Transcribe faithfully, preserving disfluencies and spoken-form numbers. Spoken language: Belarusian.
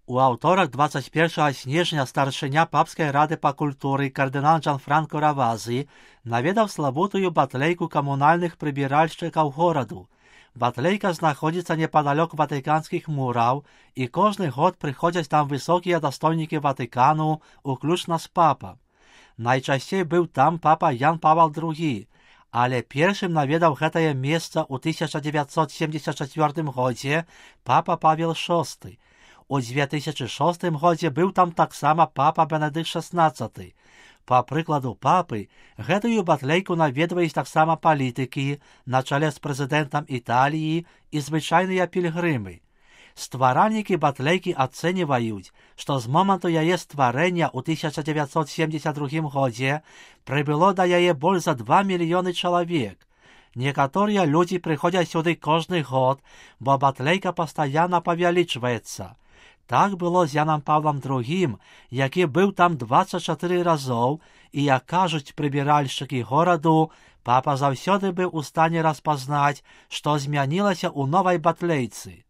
У аўторак двадцать першага снежня старшыня папскай рады па культуры кардынал Джанфранко Равазы наведаў славутую батлейку камунальных прыбіральшчыкаў гораду. Батлейка знаходзіцца непадалёк ватыканскіх мураў, і кожны год прыходзяць там высокія дастойнікі Ватыкану, уключна з папа. Найчасцей быў там папа Ян Павел другі, але першым наведаў гэтае месца ў тысяча дзевяцьсот семьдесят чацвёртым годзе папа Павел шосты. У дзве тысячы шостым годзе быў там таксама папа Бенедыкт шаснаццаты. Па прыкладу папы, гэтую батлейку наведваюць таксама палітыкі на чале з прэзідэнтам Італіі і звычайныя пільгрымы. Стваральнікі батлейкі ацэньваюць, што з моманту яе стварэння ў тысяча дзевяцьсот семьдесят другім годзе прыбыло да яе больш за два мільёны чалавек. Некаторыя людзі прыходзяць сюды кожны год, бо батлейка пастаянна павялічваецца. Так было з Янам Павлам другім, які быў там дваццаць чатыры разоў, і, як кажуць прыбіральшчыкі гораду, папа заўсёды быў у стане распазнаць, што змянілася ў новай батлейцы.